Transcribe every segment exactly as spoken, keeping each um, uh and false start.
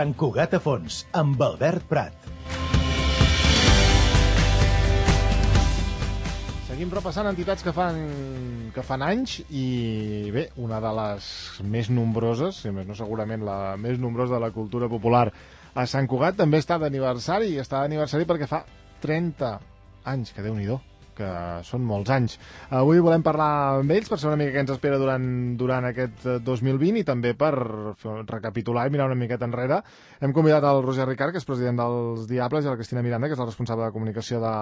Sant Cugat a fons, amb Albert Prat. Seguim repassant entitats que fan, que fan anys i bé, una de les més nombroses, si més no segurament la més nombrosa de la cultura popular a Sant Cugat, també està d'aniversari, i està d'aniversari perquè fa trenta anys, que Déu-n'hi-do, que són molts anys. Avui volem parlar amb ells per saber una mica què ens espera durant, durant aquest dos mil vint i també per recapitular i mirar una miqueta enrere. Hem convidat el Roger Ricart, que és president dels Diables, i la Cristina Miranda, que és la responsable de comunicació de,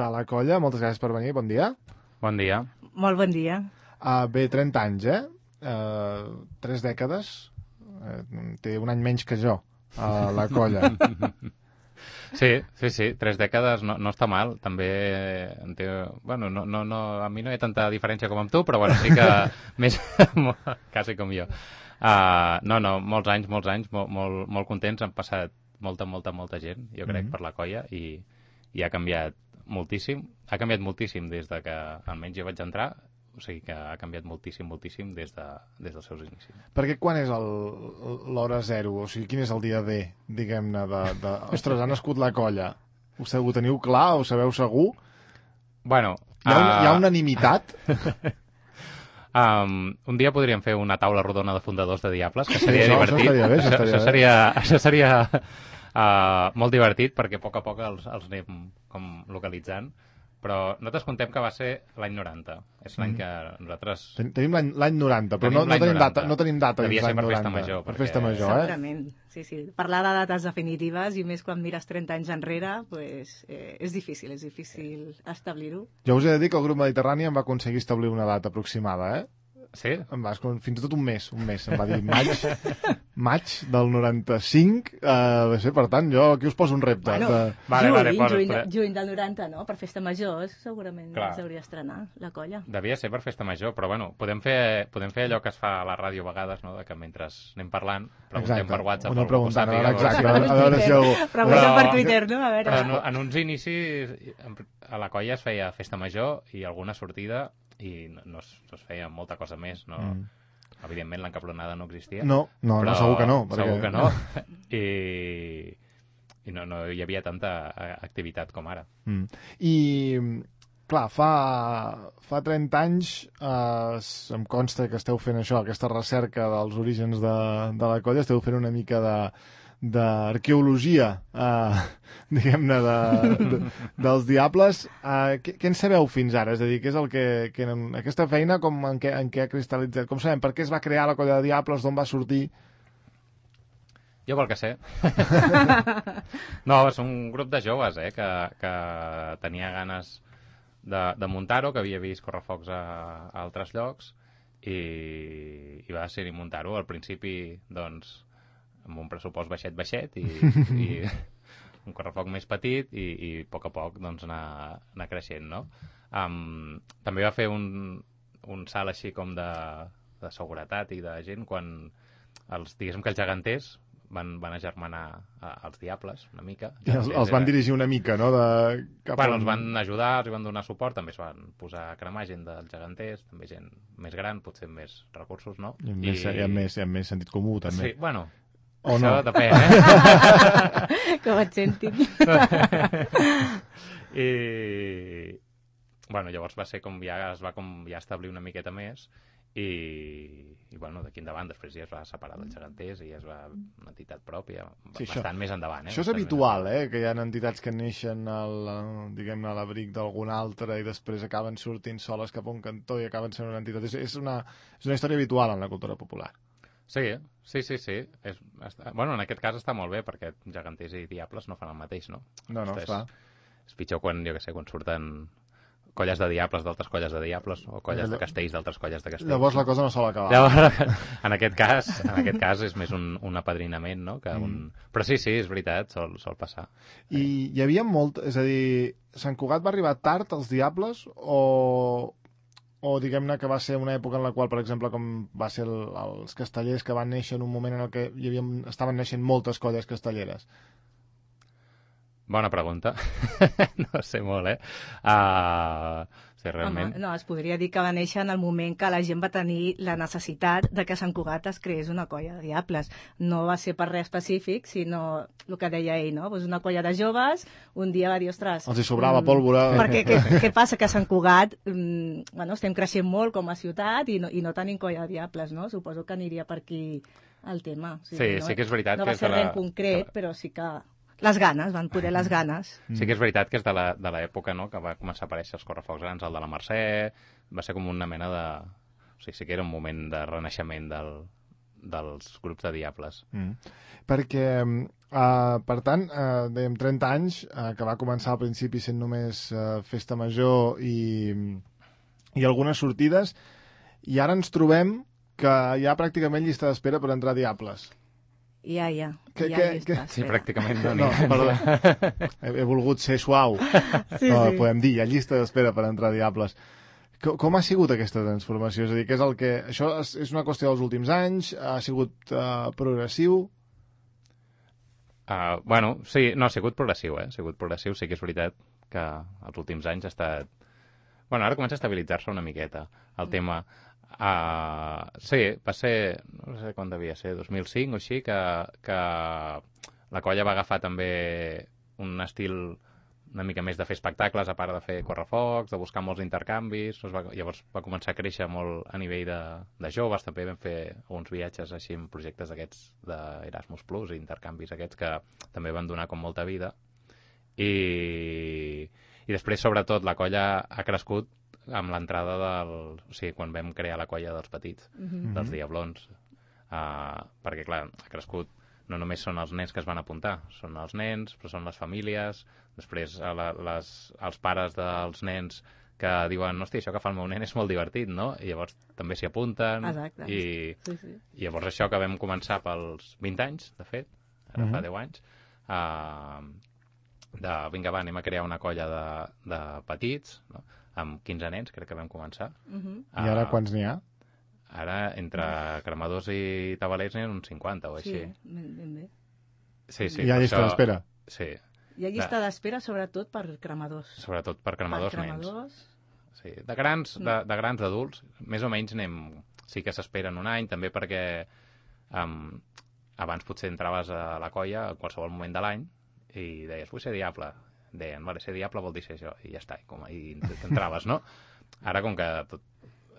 de la colla. Moltes gràcies per venir, bon dia. Bon dia. Molt bon dia. Uh, bé, trenta anys, eh? Uh, tres dècades. Uh, té un any menys que jo, a uh, la colla. Sí, sí, sí, tres dècades no, no està mal, també en té, bueno, no, no, no, a mi no hi ha tanta diferència com amb tu, però bueno, sí que més, quasi com jo. Uh, no, no, molts anys, molts anys, molt, molt, molt contents, han passat molta, molta, molta gent, jo crec, mm-hmm. per la colla, i, i ha canviat moltíssim, ha canviat moltíssim des de que almenys jo vaig entrar, o sigui que ha canviat moltíssim, moltíssim des, de, des dels seus inicis. Perquè quan és l'hora zero? O sigui, quin és el dia D, diguem-ne, de, de... Ostres, ha nascut la colla. Ho, ho teniu clar? Ho sabeu segur? Bueno... Hi ha, un, uh... hi ha unanimitat? um, un dia podríem fer una taula rodona de fundadors de Diables, que seria sí, divertit. Això estaria bé, això, això seria, això seria uh, molt divertit, perquè a poc a poc els, els anem com localitzant. Però nosaltres contem que va ser l'any noranta. És l'any que nosaltres... Ten Tenim l'any noranta, però tenim no, no, tenim data, no tenim data. Devia ser per festa major. Per festa major, eh? Segurament, sí, sí. Parlar de dates definitives, i més quan mires trenta anys enrere, pues, eh, és difícil, és difícil establir-ho. Jo us he de dir que el grup Mediterrani em va aconseguir establir una data aproximada, eh? Sí? Em va, fins i tot un mes, un mes. Em va dir maig, maig del noranta-cinc. Uh, sé, per tant, jo aquí us poso un repte. Bueno, de... vale, juny, vale, posa, juny, però... juny del noranta, no? Per festa major, segurament s'hauria d'estrenar la colla. Devia ser per festa major, però bueno, podem fer, podem fer allò que es fa a la ràdio a vegades, no? De que mentre anem parlant, preguntem exacte. per WhatsApp. Una preguntant, sàpiga, exacte, a a veure si algú... Preguntem per Twitter, no? A veure. Però en uns inicis, a la colla es feia festa major i alguna sortida, i no, no, es, no es feia molta cosa més, no? Mm. Evidentment l'encapronada no existia. No, no, no, segur que no. Perquè... Segur que no. I, i no, no hi havia tanta activitat com ara. Mm. I, clar, fa, fa trenta anys eh, em consta que esteu fent això, aquesta recerca dels orígens de, de la colla, esteu fent una mica de d'arqueologia, eh, diguem-ne, de, de, dels Diables. Eh, què, què en sabeu fins ara? És a dir, què és el que, que en, aquesta feina com, en, què, en què ha cristal·litzat? Com sabem, per què es va crear la colla de Diables, d'on va sortir? Jo pel que sé. No, és un grup de joves, eh, que, que tenia ganes de, de muntar-ho, que havia vist correfocs a, a altres llocs, i, i va decidir muntar-ho. Al principi, doncs, amb un pressupost baixet, baixet, i, i un correfoc més petit, i, i a poc a poc doncs, anar, anar creixent, no? Um, també va fer un, un salt així com de, de seguretat i de gent quan els, diguéssim que els geganters van, van agermanar als Diables una mica. I els, els van dirigir una mica, no? De... Cap bueno, on... els van ajudar, els van donar suport, també es van posar a cremar gent dels geganters, també gent més gran, potser amb més recursos, no? I amb, I... Més, i amb, més, i amb més sentit comú, també. Sí, bueno... O això no? depèn, eh? Com et sentin. I... Bueno, llavors va ser com ja es va com ja establir una miqueta més i, i bueno, d'aquí endavant després ja es va separar dels geganters i ja es va una entitat pròpia, sí, bastant això, més endavant. Eh? Això és habitual, eh? Que hi ha entitats que neixen al, diguem-ne, a l'abric d'algun altre i després acaben sortint soles cap a un cantó i acaben sent una entitat. És, és, una, és una història habitual en la cultura popular. Sí, sí, sí, sí. És, està, bueno, en aquest cas està molt bé, perquè geganters i diables no fan el mateix, no? No, no, és, clar. És pitjor quan, jo què sé, quan surten colles de diables d'altres colles de diables o colles de castells d'altres colles de castells. Llavors la cosa no sol acabar. Llavors, en aquest cas, en aquest cas és més un, un apadrinament, no? Que un... mm. Però sí, sí, és veritat, sol, sol passar. I sí. Hi havia molt... És a dir, Sant Cugat va arribar tard als diables o... o diguem-ne que va ser una època en la qual, per exemple, com va ser el, els castellers que van néixer en un moment en el que hi havia, estaven naixent moltes colles castelleres? Bona pregunta. No sé molt, eh? Uh, sí, realment... Home, no, es podria dir que va néixer en el moment que la gent va tenir la necessitat de que Sant Cugat es creés una colla de diables. No va ser per res específic, sinó el que deia ell, no? Pues una colla de joves, un dia va dir, ostres... Els hi sobrava mm, pólvora. Perquè què, què passa? Que a Sant Cugat mm, bueno, estem creixent molt com a ciutat i no, i no tenim colla de diables, no? Suposo que aniria per aquí el tema. O sigui, Sí, no, sí que és veritat no que va és ser de la- res en concret, però sí que... Les ganes, van poder les ganes. Sí que és veritat que és de la- de l'època, no?, que va començar a aparèixer els correfocs grans, el de la Mercè, va ser com una mena de... O sigui, sí que era un moment de renaixement del, dels grups de diables. Mm. Perquè, uh, per tant, uh, dèiem trenta anys, uh, que va començar al principi sent només uh, festa major i, i algunes sortides, i ara ens trobem que hi ha pràcticament llista d'espera per entrar a Diables. Ja, ja. Que- ja que- hi que- està, Sí, espera. pràcticament no, No, n'hi ha. perdó. He, he volgut ser suau. Sí, No, sí. podem dir, hi ha llista d'espera per entrar a Diables. Com, com ha sigut aquesta transformació? És a dir, què és el que... Això és, és una qüestió dels últims anys? Ha sigut uh, progressiu? Uh, bueno, sí, no, ha sigut progressiu, eh? Ha sigut progressiu, sí que és veritat que els últims anys ha estat... Bueno, ara comença a estabilitzar-se una miqueta el tema. Uh, sí, va ser, no sé quan devia ser, dos mil cinc o així, que, que la colla va agafar també un estil una mica més de fer espectacles, a part de fer correfocs, de buscar molts intercanvis. Doncs va, llavors va començar a créixer molt a nivell de, de joves, també vam fer uns viatges així en projectes d'aquests d'Erasmus Plus, intercanvis aquests que també van donar com molta vida. I, i després, sobretot, la colla ha crescut amb l'entrada del... O sigui, quan vam crear la colla dels petits, Mhm. dels Diablons, uh, perquè, clar, ha crescut no només són els nens que es van apuntar, són els nens, però són les famílies, després a la, les, els pares dels nens que diuen, hosti, això que fa el meu nen és molt divertit, no? I llavors també s'hi apunten. Exacte. I, Sí, sí. I llavors això que vam començar pels vint anys, de fet, ara Mhm. fa deu anys, uh, de, vinga, va, anem a crear una colla de, de petits, no? Amb quinze nens, crec que vam començar. Mhm. I ara Ah, quants n'hi ha? Ara, entre cremadors i tabalers n'hi ha uns cinquanta o Sí, així. ben, ben bé. Sí, sí. Hi ha per llista això- d'espera? Sí, Hi ha llista d'espera, sobretot, per cremadors. sobretot per cremadors per nens. cremadors. Sí. De grans, de, de grans adults, més o menys anem... Sí que s'esperen un any, també perquè um, abans potser entraves a la colla a qualsevol moment de l'any i deies, vull ser diable. Deien, vale, ser diable vol dir ser això, i ja està, i, com, i entraves, no? Ara, com que tot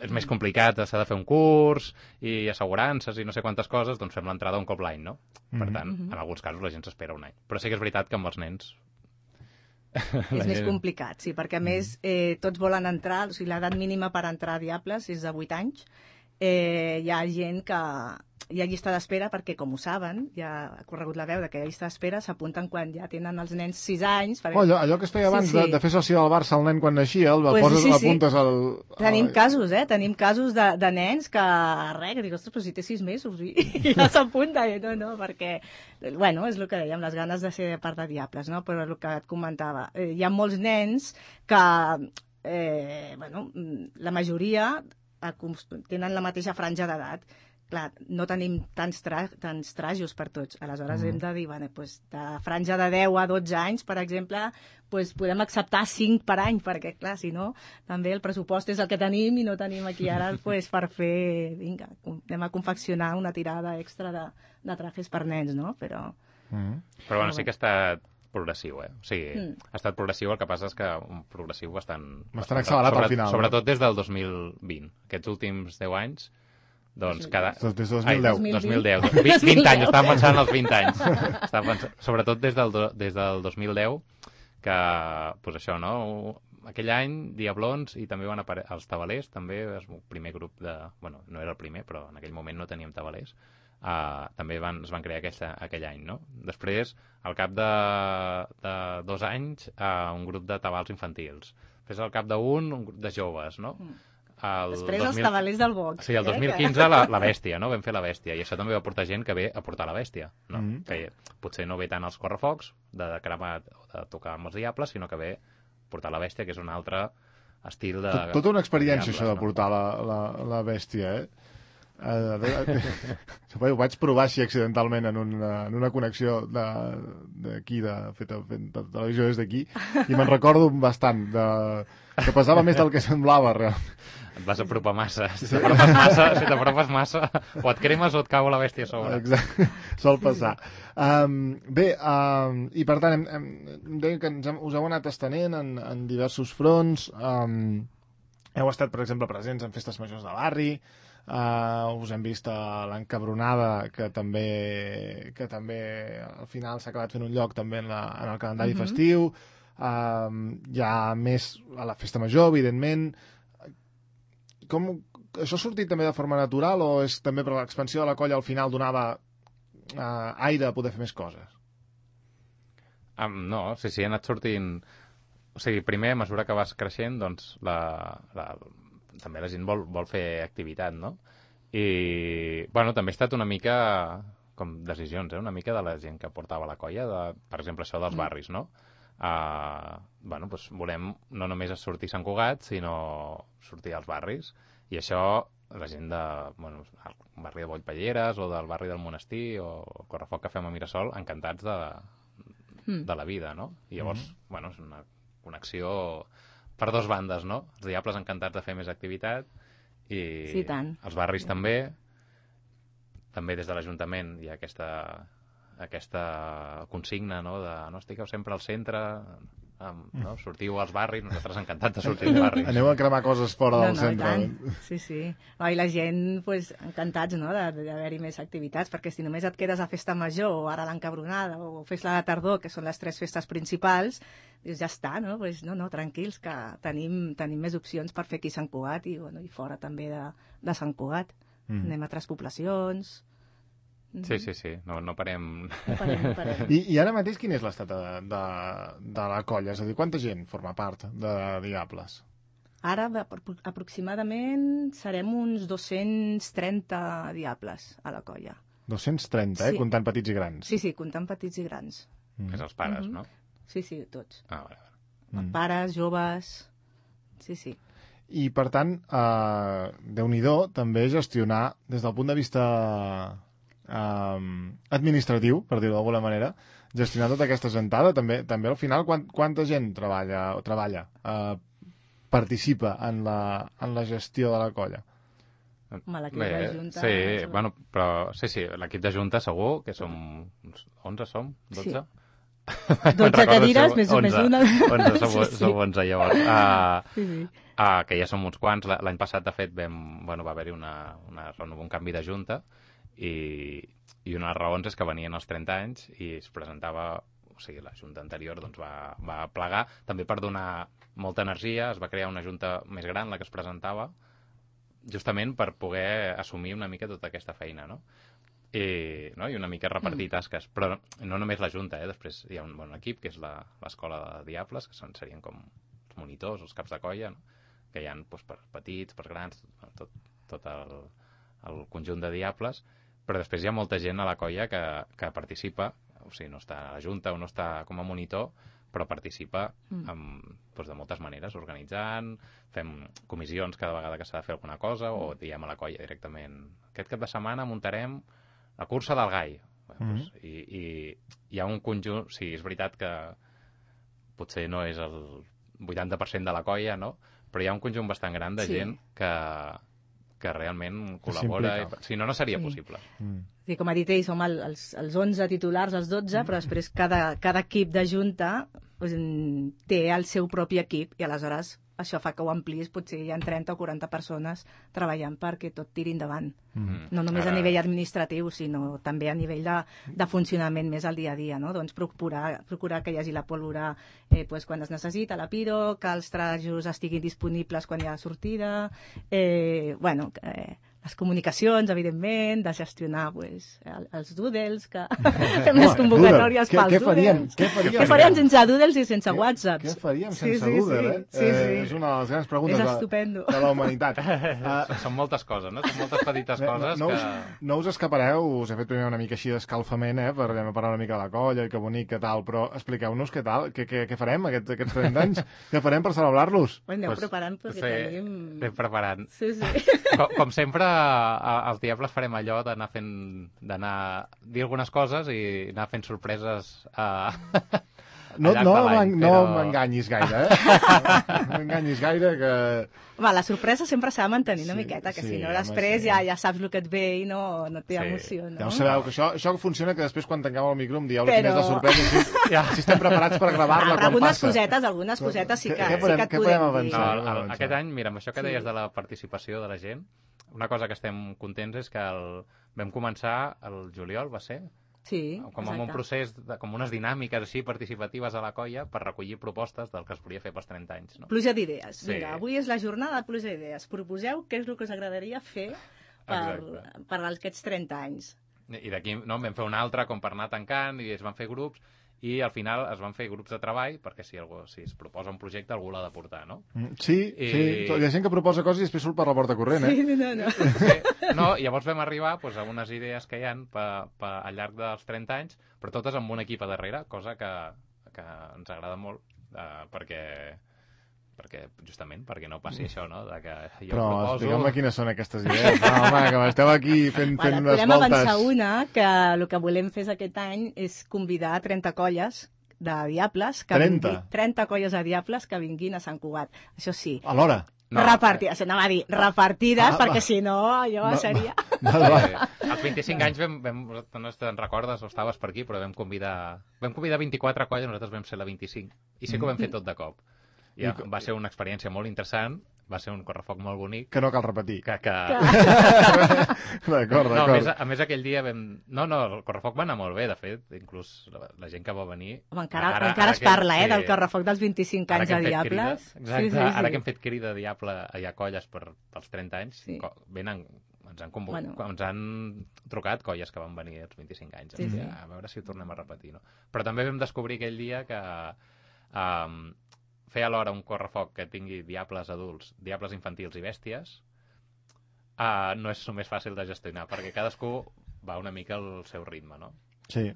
és més complicat, s'ha de fer un curs i assegurances i no sé quantes coses, doncs fem l'entrada un cop l'any, no? Per Mhm. tant, en alguns casos la gent s'espera un any. Però sí que és veritat que amb els nens... És més complicat, sí, perquè a més eh, tots volen entrar, o sigui, l'edat mínima per entrar a Diables és de vuit anys. Eh, hi ha gent que hi ha llista d'espera perquè, com ho saben, ja ha corregut la veu de que hi ha llista d'espera, s'apunten quan ja tenen els nens sis anys. Perquè... Oh, allò, allò que es feia abans Sí, sí, sí. sí. De, de fer soci del Barça al nen quan naixia, el Pues poses, sí, sí. apuntes al... Tenim al- casos, eh? Tenim casos de, de nens que, res, que dic, ostres, però si té sis mesos i, i ja s'apunta. I no, no, perquè, bueno, és el que dèiem, les ganes de ser part de Diables, no? Però el que et comentava, eh, hi ha molts nens que, eh, bueno, la majoria acos- tenen la mateixa franja d'edat. Clar, no tenim tants, tra tants trajos per tots. Aleshores mm. hem de dir, bueno, pues, de franja de deu a dotze anys, per exemple, pues, podem acceptar cinc per any, perquè, clar, si no, també el pressupost és el que tenim i no tenim aquí ara pues, per fer, vinga, anem a confeccionar una tirada extra de, de trajes per nens, no? Però... Mm. Però bueno, sí que ha estat progressiu, eh? O sigui, Mm. ha estat progressiu, el que passa és que un progressiu bastant... Bastant accelerat al final, no? Sobretot des del dos mil vint. Aquests últims deu anys, doncs cada... Des de dos mil deu. Ai, dos mil deu. vint, vint anys, estava pensant en els vint anys. Estava pensant, sobretot des del, do- des del dos mil deu, que, pues això, no? Aquell any, Diablons, i també van aparèixer els tabalers, també, és el primer grup de... Bueno, no era el primer, però en aquell moment no teníem tabalers. Uh, també van, es van crear aquesta, aquell any, no? Després, al cap de, de dos anys, uh, un grup de tabals infantils. Després, al cap d'un, un grup de joves, no? El Després dos els mil tabalers del box. Sí, el dos mil quinze la, la bèstia, no? Vam fer la bèstia, i això també va portar gent que ve a portar la bèstia, no? Mhm. Que potser no ve tant als correfocs, de, de cremar o de tocar amb els diables, sinó que ve a portar la bèstia, que és un altre estil de... Tot, tota una experiència, diables, això de no? portar la, la, la bèstia, eh? Uh, ho vaig provar així accidentalment en una, en una connexió d'aquí, de, de, feta fent de televisió des d'aquí, i me'n recordo bastant, de, que pesava més del que semblava, realment. Et vas apropar massa. Si t'apropes massa, si t'apropes massa, o et cremes o et cau la bèstia a sobre. Exacte, sol passar. Um, bé, um, i per tant, hem, hem, deia que ens hem, us heu anat estenent en, en diversos fronts, um, heu estat, per exemple, presents en festes majors de barri, Uh, us hem vist a l'Encabronada, que també que també al final s'ha acabat fent un lloc també en, la, en el calendari uh-huh. festiu, uh, hi ha més a la festa major, evidentment. Com, això ha sortit també de forma natural o és també per l'expansió de la colla al final donava uh, aire a poder fer més coses? Um, no, sí, sí, ha anat sortint... O sigui, primer, a mesura que vas creixent, doncs la... la també la gent vol, vol fer activitat, no? I, bueno, també ha estat una mica, com decisions, eh? Una mica de la gent que portava la colla, de, per exemple, això dels mm. barris, no? Uh, bueno, doncs volem no només sortir a Sant Cugat, sinó sortir als barris. I això, la gent de, bueno, el barri de Bollpelleres o del barri del Monestir o Correfoc que fem a Mirasol, encantats de, mm. de la vida, no? I llavors, mm. bueno, és una connexió... per dos bandes, no? Els Diables encantats de fer més activitat i sí, tant. Els barris també. També des de l'Ajuntament hi ha aquesta, aquesta consigna, no? De no estigueu sempre al centre, no? Sortiu als barris, nosaltres encantats de sortir als barris. Aneu a cremar coses fora no, del no, centre. Sí, sí. No, I la gent, pues, encantats, no?, d'haver-hi més activitats, perquè si només et quedes a Festa Major, o ara l'Encabronada, o Festa de Tardor, que són les tres festes principals, dius, ja està, no? Pues, no, no, tranquils, que tenim, tenim més opcions per fer aquí a Sant Cugat i, bueno, i fora també de, de Sant Cugat. Mm. Anem a altres poblacions... Sí, sí, sí, no, no parem. No parem, no parem. I, I ara mateix quin és l'estat de, de, de la colla? És a dir, quanta gent forma part de Diables? Ara, aproximadament, serem uns dos-cents trenta Diables a la colla. dos-cents trenta, eh? Sí. Comptant petits i grans. Sí, sí, comptant petits i grans. Mm. És els pares, mm-hmm. no? Sí, sí, tots. Ah, vale, vale. Mm. Pares, joves... Sí, sí. I, per tant, eh, Déu-n'hi-do també gestionar, des del punt de vista... Um, administratiu, per dir-ho d'alguna manera, gestionar tota aquesta gentada, també, també al final quant, quanta gent treballa, treballa uh, participa en la, en la gestió de la colla? Home, l'equip de Junta... Sí, és... bueno, però, sí, sí, l'equip de Junta segur que som onze, som? dotze? Sí. dotze cadires, més o més una. onze, som, sí, sí. som onze, llavors. Uh, sí, sí. Uh, que ja som uns quants. L'any passat, de fet, vam, bueno, va haver-hi una, una, un canvi de Junta, i, i una de les raons és que venien els trenta anys i es presentava, o sigui, la junta anterior doncs va, va plegar, també per donar molta energia, es va crear una junta més gran, la que es presentava, justament per poder assumir una mica tota aquesta feina, no? I, no? I una mica repartir tasques, però no només la junta, eh? Després hi ha un bon equip, que és l'escola de Diables, que són, serien com els monitors, els caps de colla, no? Que hi ha doncs, per petits, per grans, tot, tot el, el conjunt de Diables, però després hi ha molta gent a la colla que, que participa, o sigui, no està a la junta o no està com a monitor, però participa mm. amb, doncs, de moltes maneres, organitzant, fem comissions cada vegada que s'ha de fer alguna cosa, o diem a la colla directament, aquest cap de setmana muntarem la cursa del gai. Bé, mm. doncs, i, I hi ha un conjunt, sí, és veritat que potser no és el vuitanta per cent de la colla, no? Però hi ha un conjunt bastant gran de sí. gent que... que realment col·labora, i, si no, no seria sí. possible. Mm. Sí, com ha dit ell, som el, els, els onze titulars, els dotze, però després cada, cada equip de junta pues, té el seu propi equip i aleshores això fa que ho ampliïs, potser hi ha trenta o quaranta persones treballant perquè tot tiri endavant. Mm. No només Ara... a nivell administratiu, sinó també a nivell de, de funcionament més al dia a dia, no? Doncs procurar, procurar que hi hagi la pólvora eh, pues, quan es necessita, la piro, que els trajos estiguin disponibles quan hi ha sortida, eh, bueno, eh, les comunicacions, evidentment, de gestionar pues, el, els doodles, que fem les convocatòries pels què faríem? doodles. Què faríem? Què faríem sense doodles i sense WhatsApps? Què faríem sense sí, sí, doodle, eh? Sí, sí. Eh, és una de les grans preguntes de, de la humanitat. Uh, Són moltes coses, no? Són moltes petites coses no, no que... Us, no us escapareu, us he fet primer una mica així d'escalfament, eh? Per parlar una mica de la colla, que bonic, que tal, però expliqueu-nos què tal, què, què, què farem aquests, aquests trenta anys? Què farem per celebrar-los? Bueno, aneu pues, preparant, perquè sí, tenim... Anem preparant. Sí, sí. Com, com sempre, a, als Diables farem allò d'anar fent... d'anar... dir algunes coses i anar fent sorpreses a... No, al llarg no, de l'any, no però... m'enganyis gaire, eh? No m'enganyis gaire, que... Va, la sorpresa sempre s'ha de mantenir una Sí, miqueta, que sí, si no home, després sí. ja, ja saps el que et ve i no, no té Sí. emoció, no? Ja ho sabeu, que això, això funciona que després quan tanquem el micro em dieu Però- quina és la sorpresa, si, ja, si estem preparats per gravar-la Ah, quan algunes passa. cosetes, algunes cosetes sí que, Què sí podem- que et què podem podem dir. No, avançar? el, el, avançar. aquest any, mira, amb això que Sí. deies de la participació de la gent, una cosa que estem contents és que el, vam començar el juliol, va ser? Sí, Com amb un exacte. procés, de, com unes dinàmiques així participatives a la colla per recollir propostes del que es volia fer pels trenta anys. No? Pluja d'idees. Sí. Vinga, avui és la jornada de pluja d'idees. Proposeu què és el que us agradaria fer per, Exacte. per aquests trenta anys. I d'aquí no, en vam fer una altra com per anar tancant i es van fer grups i al final es van fer grups de treball perquè si, algú, si es proposa un projecte algú l'ha de portar, no? Mm, Sí, I- sí, hi ha gent que proposa coses i després surt per la porta corrent, eh? Sí, no, no. Sí. No, llavors vam arribar doncs, a unes idees que hi ha pa, pa, al llarg dels trenta anys, però totes amb un equip a darrere, cosa que, que ens agrada molt, eh, perquè, perquè justament perquè no passi això, no? De que jo Però proposo... explica'm quines són aquestes idees. No, home, que m'esteu aquí fent, fent Bueno, unes podem voltes. avançar una, que el que volem fer aquest any és convidar trenta colles de diables, que trenta? vingui- trenta colles de diables que vinguin a Sant Cugat. Això sí, Alhora. No. repartides, anava a dir repartides, Ah, perquè va. si no allò Va, seria... Vale, va. Sí. Als vint-i-cinc anys vam, vam, no te'n recordes o estaves per aquí, però vam convidar vam convidar vint-i-quatre colles, nosaltres vam ser la vint-i-cinc i sí que ho vam fer tot de cop. I I ja, co- va ser una experiència molt interessant, va ser un correfoc molt bonic, Que no cal repetir. que, que... D'acord, No, a més, d'acord. a més aquell dia vam... No, no, el correfoc va anar molt bé, de fet, inclús la, la gent que va venir... Home, encara, ara, encara es parla, eh, sí. del correfoc dels vint-i-cinc Ara anys que de hem fet diables. crida, exacte, ara que hem fet crida de diable hi ha colles per, pels trenta anys, Sí. co- venen, ens han, convo... Bueno. ens han trucat colles que van venir als vint-i-cinc anys. Sí, Sí, sí. A veure si ho tornem a repetir, no? Però també vam descobrir aquell dia que um, fer alhora un correfoc que tingui diables adults, diables infantils i bèsties, uh, no és només fàcil de gestionar, perquè cadascú va una mica al seu ritme, no? Sí,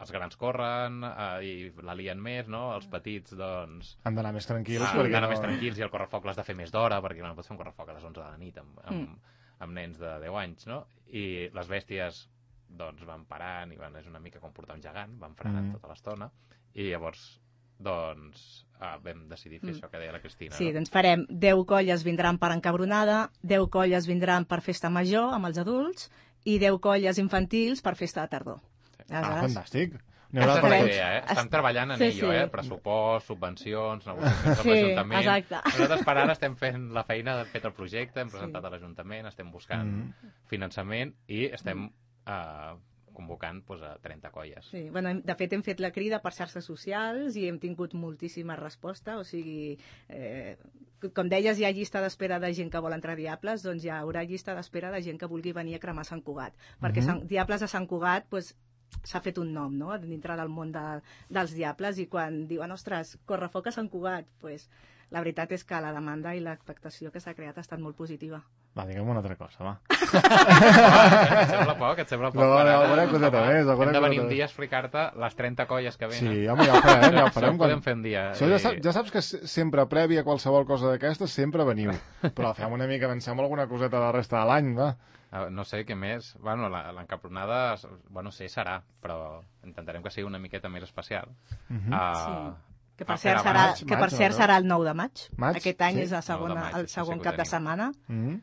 Els grans corren uh, i la lien més, no? Els petits, doncs... han d'anar més tranquils. Ah, perquè d'anar no... més tranquils i el correfoc l'has de fer més d'hora perquè no pots fer un correfoc a les onze de la nit amb, amb, Mm. amb nens de deu anys, no? I les bèsties doncs van parant i van, és una mica com portar un gegant, van frenant Mm. tota l'estona i llavors doncs ah, vam decidir fer Mm. això que deia la Cristina, Sí, no? doncs farem deu colles vindran per encabronada, deu colles vindran per festa major amb els adults i deu colles infantils per festa de tardor. Ah, Aleshores, fantàstic. N'hi Aquesta haurà és per la tots. idea, eh? Estan treballant en Sí, ello, sí. eh? Pressupost, subvencions, negociacions amb Sí, l'Ajuntament. exacte. Nosaltres per ara estem fent la feina de fet el projecte, hem Sí. presentat a l'Ajuntament, estem buscant Mm. finançament i estem eh, convocant doncs, a trenta colles. Sí, bueno, hem- de fet hem fet la crida per xarxes socials i hem tingut moltíssima resposta, o sigui, eh, com deies, hi ha llista d'espera de gent que vol entrar a Diables, doncs hi haurà llista d'espera de gent que vulgui venir a cremar Sant Cugat, perquè Mhm. Sant, Diables de Sant Cugat pues, s'ha fet un nom, no?, dintre del món de, dels Diables, i quan diuen, ostres, correfoc a Sant Cugat, pues, la veritat és que la demanda i l'expectació que s'ha creat ha estat molt positiva. Va, digue'm una altra cosa, va. Et sembla poc? Et sembla poc? No, no, Per ara? alguna coseta Home, més, alguna Hem de venir coseta un més. dia a explicar-te les trenta colles que venen. Sí, home, ja ho farem, ja ho Això farem. ho podem fer un dia. Això ja, I- sap, ja saps que se- sempre, prèvia a qualsevol cosa d'aquestes, sempre veniu. Però fem una mica, avancem alguna coseta de la resta de l'any, va. Ah, no sé què més. Bueno, la- l'encapronada, bueno, sí, serà, però intentarem que sigui una miqueta més especial. Mhm. Ah, Que per a cert, fer serà, abans. que per maig, cert no? serà el nou de maig. Maig? Aquest any Sí. és la nou de segona, maig, el això segon sí que ho cap de tenim. setmana. Mhm.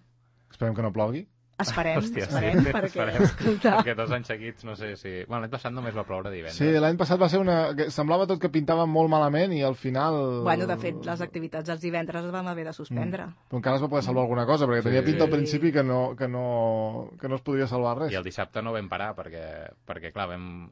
Esperem que no plogui. Esperem, Hòstia, esperem, sí, perquè, esperem. escolta... Perquè dos anys seguits, no sé si... Bueno, l'any passat només va ploure divendres. Sí, l'any passat va ser una... que semblava tot que pintava molt malament i al final... Bueno, de fet, les activitats dels divendres les vam haver de suspendre. Però encara es va poder salvar alguna cosa, perquè Sí. tenia pinta al principi que no, que no, que no es podria salvar res. I el dissabte no vam parar, perquè, perquè clar, vam...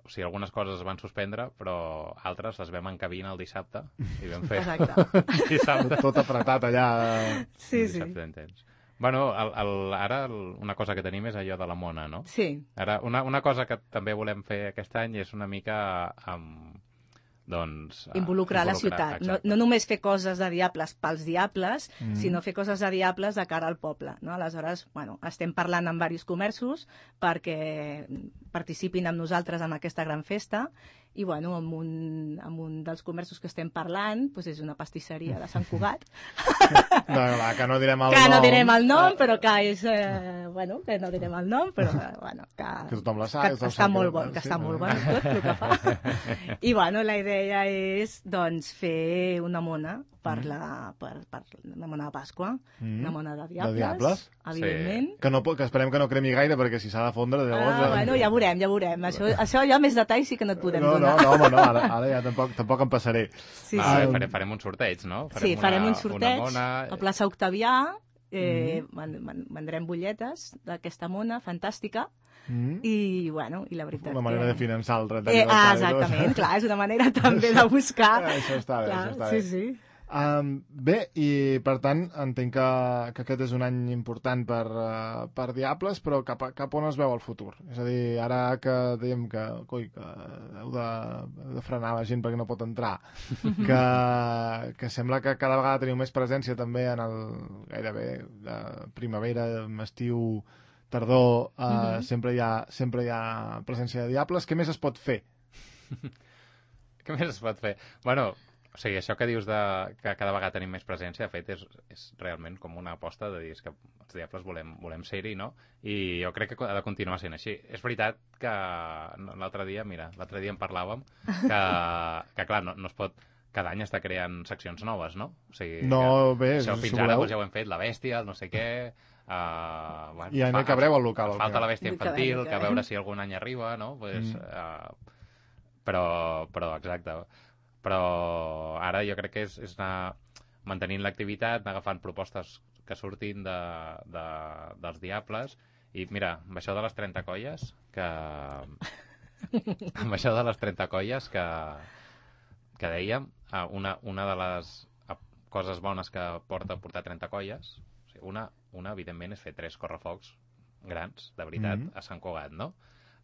O sigui, algunes coses es van suspendre, però altres les vam encabir el dissabte i vam fer Exacte. el dissabte. Tot apretat allà. Sí, el sí. dissabte en temps. Bueno, el, el, ara el, una cosa que tenim és allò de la mona, no? Sí, Ara, una, una cosa que també volem fer aquest any és una mica amb, doncs... eh, involucrar la ciutat. No, exacte. no només fer coses de diables pels diables, Mm. sinó fer coses de diables de cara al poble. No? Aleshores, bueno, estem parlant amb diversos comerços perquè participin amb nosaltres en aquesta gran festa i bueno, amb un, amb un dels comerços que estem parlant, doncs és una pastisseria de Sant Cugat. No, no, que no direm el que nom. no direm el nom, però que és... Eh, bueno, que no direm el nom, però eh, bueno, que, que tothom la sap. Que, que està molt bon, que sí, està molt bon tot el que fa. I bueno, la idea és doncs fer una mona per mm. la, per, per una mona de Pasqua, mm. una mona de diables, de diables? evidentment. Sí. Que, no, que esperem que no cremi gaire, perquè si s'ha de fondre... Llavors, ah, bueno, ja veurem, ja veurem. Això, això ja més detalls sí que no et podem no, donar. No, no, home, no, ara, ara ja tampoc, tampoc em passaré. Sí, ah, sí. Farem, farem un sorteig, no? Farem sí, farem una, un sorteig mona... a plaça Octavià, eh, mm. vendrem butlletes d'aquesta mona fantàstica, Mm. i, bueno, i la veritat una manera que... de finançar el trenta eh, ah, exactament, clar, és una manera també de buscar això està bé, clar, això està sí, bé. sí. Um, bé, i per tant entenc que, que aquest és un any important per, uh, per Diables, però cap, a, cap on es veu el futur? És a dir, ara que dèiem que, coi, que heu de, heu de frenar la gent perquè no pot entrar, que, que sembla que cada vegada teniu més presència també en el gairebé de primavera, estiu, tardor, uh, mm-hmm. sempre, hi ha, sempre hi ha presència de Diables. Què més es pot fer? Què més es pot fer? Bueno, o sigui, això que dius de que cada vegada tenim més presència, de fet, és, és realment com una aposta de dir que els Diables volem, volem ser-hi, no? I jo crec que ha de continuar sent així. És veritat que l'altre dia, mira, l'altre dia en parlàvem, que, que clar, no, no es pot... Cada any està creant seccions noves, no? O sigui, no, bé, això fins si ara voleu... doncs, ja ho hem fet, la bèstia, el no sé què... Uh, bueno, I ja no hi cabreu al local. Falta la bèstia infantil, que a veure si algun any arriba, no? Pues, mm. uh, però, però, exacte. Però ara jo crec que és, és anar mantenint l'activitat, anar agafant propostes que surtin de, de, dels Diables. I mira, amb això de les trenta colles, que... amb això de les trenta colles que, que dèiem, una, una de les coses bones que porta portar trenta colles, una, una evidentment, és fer tres correfocs grans, de veritat, mm -hmm. a Sant Cugat, no?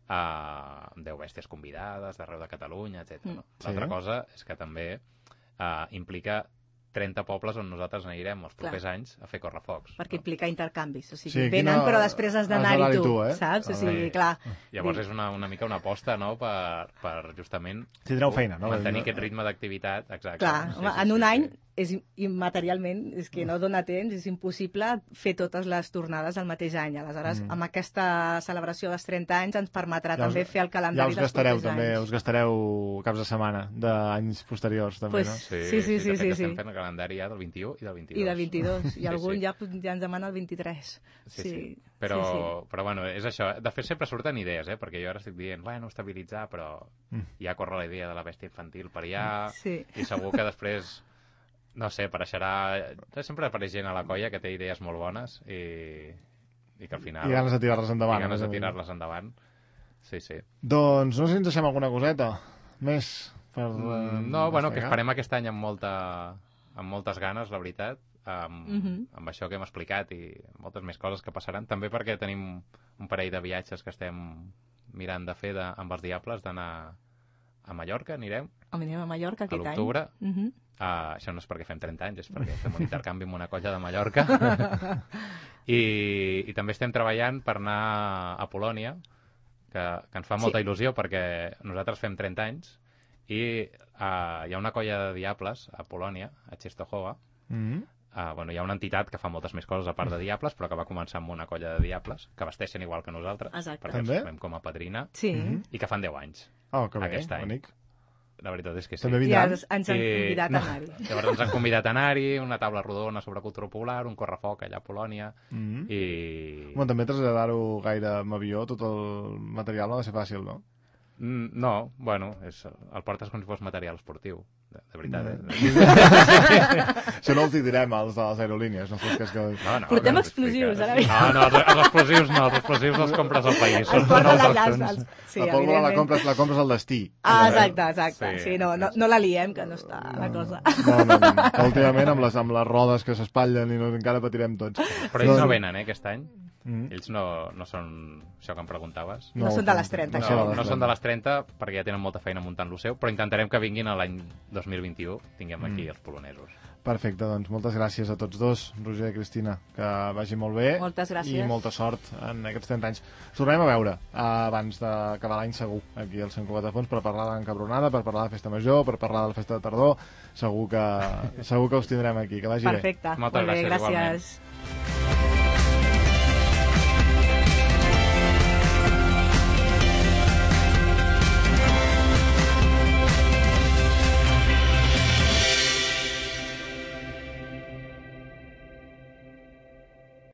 Uh, amb deu bèsties convidades d'arreu de Catalunya, etcètera. No? Sí. L'altra cosa és que també uh, implica trenta pobles on nosaltres anirem els propers Clar. anys a fer correfocs. Perquè no? implica intercanvis, o sigui, sí, venen no... però després has d'anar-hi tu, tu eh? saps? O sigui, sí. clar. Llavors és una, una mica una aposta, no?, per, per justament... Tindreu feina, no? Mantenir aquest ritme d'activitat, exacte. Clar, sí, home, sí, en sí, un sí, any... Sí. és immaterialment, és que no dona temps, és impossible fer totes les tornades al mateix any. Aleshores, mm. amb aquesta celebració dels trenta anys ens permetrà ja us, també fer el calendari ja dels propers anys. Ja us gastareu també, anys. us gastareu caps de setmana d'anys posteriors també, pues, no? Sí, sí, sí, sí. sí, sí, sí, estem fent el calendari ja del vint-i-u i del vint-i-dos. I del vint-i-dos, i algun sí, sí. Ja, ja ens demana el vint-i-tres. Sí, sí. sí. Però, sí, sí. però bueno, és això. De fet, sempre surten idees, eh? Perquè jo ara estic dient, bueno, estabilitzar, però mm. ja corre la idea de la bèstia infantil per allà, sí. i segur que després... No sé, apareixerà... Sempre apareix gent a la colla que té idees molt bones i, i que al final... I ganes de tirar-les endavant. I ganes de tirar-les endavant. Sí, sí. Doncs no sé si ens deixem alguna coseta més per... Mm, no, bueno, que esperem aquest any amb, molta, amb moltes ganes, la veritat, amb, mm -hmm. amb això que hem explicat i moltes més coses que passaran. També perquè tenim un parell de viatges que estem mirant de fer de, amb els Diables, d'anar a Mallorca, anirem. Anirem a Mallorca aquest any. A l'octubre. Mm -hmm. Uh, això no és perquè fem trenta anys, és perquè fem un intercanvi amb una colla de Mallorca. I, I també estem treballant per anar a Polònia, que, que ens fa molta sí. il·lusió perquè nosaltres fem trenta anys i uh, hi ha una colla de Diables a Polònia, a Częstochowa. Mm-hmm. Uh, bueno, hi ha una entitat que fa moltes més coses a part de Diables, però que va començar amb una colla de Diables, que vesteixen igual que nosaltres, Exacte. perquè els fem com a padrina, sí. mm-hmm. i que fan deu anys. Oh, que bé, aquest any. bonic. La veritat és que sí. També I ens, ens han convidat I, a anar-hi. No, llavors ens han convidat a anar-hi, una taula rodona sobre cultura popular, un correfoc allà a Polònia, mm-hmm. i... Bueno, també traslladar-ho gaire amb avió, tot el material no ha de ser fàcil, no? Mm, no, bueno, és, el portes com si fos material esportiu, de, de veritat, eh? Això no els hi direm als de les aerolínies, no fos que és que... No, no, Portem no explosius, ara. No, no, els, els explosius no, els explosius els compres al país. Els porten allà, els... Sí, la pólvora la compres, la compres al destí. Ah, exacte, exacte. Sí, sí no, no, no la liem, que no està no, la cosa. No, no, no. Últimament amb les, amb les rodes que s'espatllen i no, encara patirem tots. Però ells no venen, eh, aquest any? Mm. Ells no, no són això que em preguntaves. No, no són de les trenta. No, no, no són de les trenta perquè ja tenen molta feina muntant lo seu, però intentarem que vinguin a l'any dos mil vint-i-u, tinguem aquí mm. els polonesos. Perfecte. Perfecte, doncs moltes gràcies a tots dos, Roger i Cristina, que vagi molt bé. Moltes gràcies. I molta sort en aquests trenta anys. Ens tornem a veure eh, abans d'acabar l'any segur, aquí al Sant Cugat de Fons, per parlar d'Encabronada, per parlar de Festa Major, per parlar de la Festa de Tardor. Segur que, segur que us tindrem aquí, que vagi Perfecte. bé. Moltes Molt bé, gràcies, gràcies. igualment.